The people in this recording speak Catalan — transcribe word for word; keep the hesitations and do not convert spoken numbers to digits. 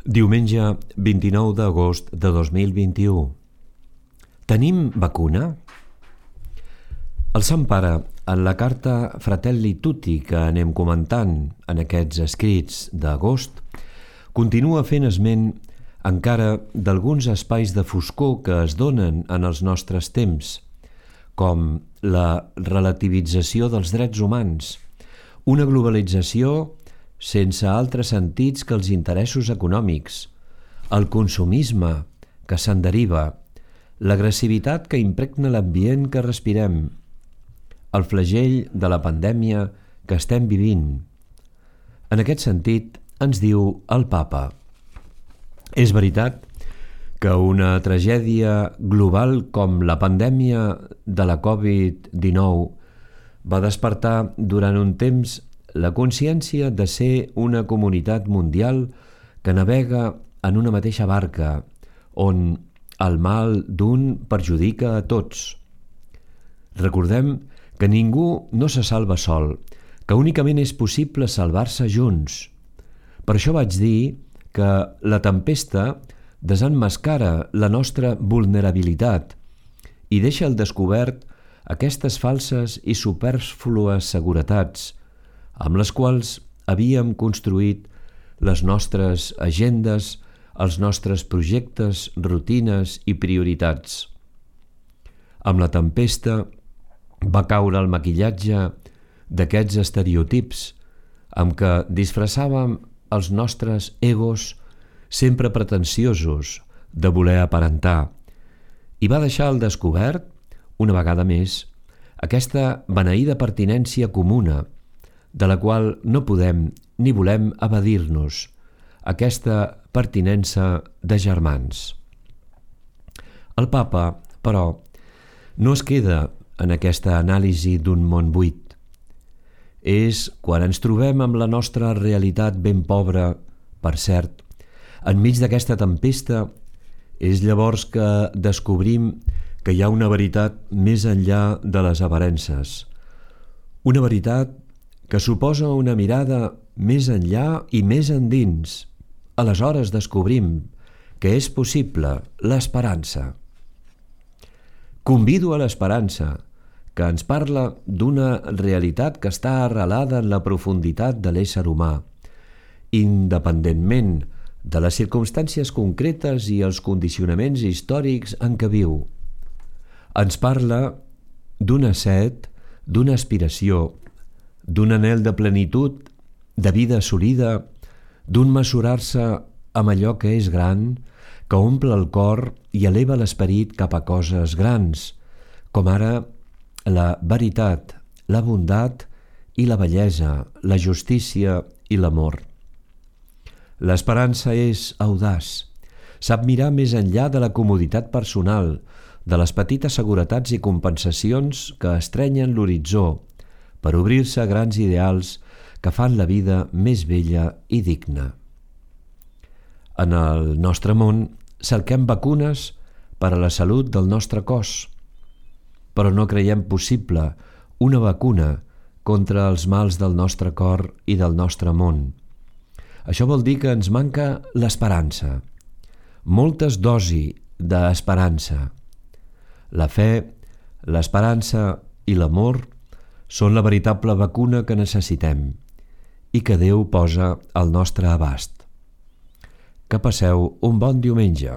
Diumenge vint-i-nou d'agost de dos mil vint-i-u. Tenim vacuna? El Sant Pare, en la carta Fratelli Tutti que anem comentant en aquests escrits d'agost, continua fent esment encara d'alguns espais de foscor que es donen en els nostres temps, com la relativització dels drets humans, una globalització sense altres sentits que els interessos econòmics, el consumisme que se'n deriva, l'agressivitat que impregna l'ambient que respirem, el flagell de la pandèmia que estem vivint. En aquest sentit, ens diu el Papa: és veritat que una tragèdia global com la pandèmia de la covid dinou va despertar durant un temps la consciència de ser una comunitat mundial que navega en una mateixa barca, on el mal d'un perjudica a tots. Recordem que ningú no se salva sol, que únicament és possible salvar-se junts. Per això vaig dir que la tempesta desemmascara la nostra vulnerabilitat i deixa al descobert aquestes falses i supèrflues seguretats amb les quals havíem construït les nostres agendes, els nostres projectes, rutines i prioritats. Amb la tempesta va caure el maquillatge d'aquests estereotips amb què disfressàvem els nostres egos sempre pretensiosos de voler aparentar, i va deixar al descobert, una vegada més, aquesta beneïda pertinència comuna de la qual no podem ni volem evadir-nos, aquesta pertinença de germans. El Papa, però, no es queda en aquesta anàlisi d'un món buit. És quan ens trobem amb la nostra realitat ben pobra, per cert, enmig d'aquesta tempesta, és llavors que descobrim que hi ha una veritat més enllà de les aparences, una veritat que suposa una mirada més enllà i més endins. Aleshores descobrim que és possible l'esperança. Convido a l'esperança, que ens parla d'una realitat que està arrelada en la profunditat de l'ésser humà, independentment de les circumstàncies concretes i els condicionaments històrics en què viu. Ens parla d'una set, d'una aspiració, d'un anhel de plenitud, de vida assolida, d'un mesurar-se amb allò que és gran, que omple el cor i eleva l'esperit cap a coses grans, com ara la veritat, la bondat i la bellesa, la justícia i l'amor. L'esperança és audaç, sap mirar més enllà de la comoditat personal, de les petites seguretats i compensacions que estrenyen l'horitzó, per obrir-se a grans ideals que fan la vida més bella i digna. En el nostre món cerquem vacunes per a la salut del nostre cos, però no creiem possible una vacuna contra els mals del nostre cor i del nostre món. Això vol dir que ens manca l'esperança, moltes dosis d'esperança. La fe, l'esperança i l'amor són la veritable vacuna que necessitem i que Déu posa al nostre abast. Que passeu un bon diumenge.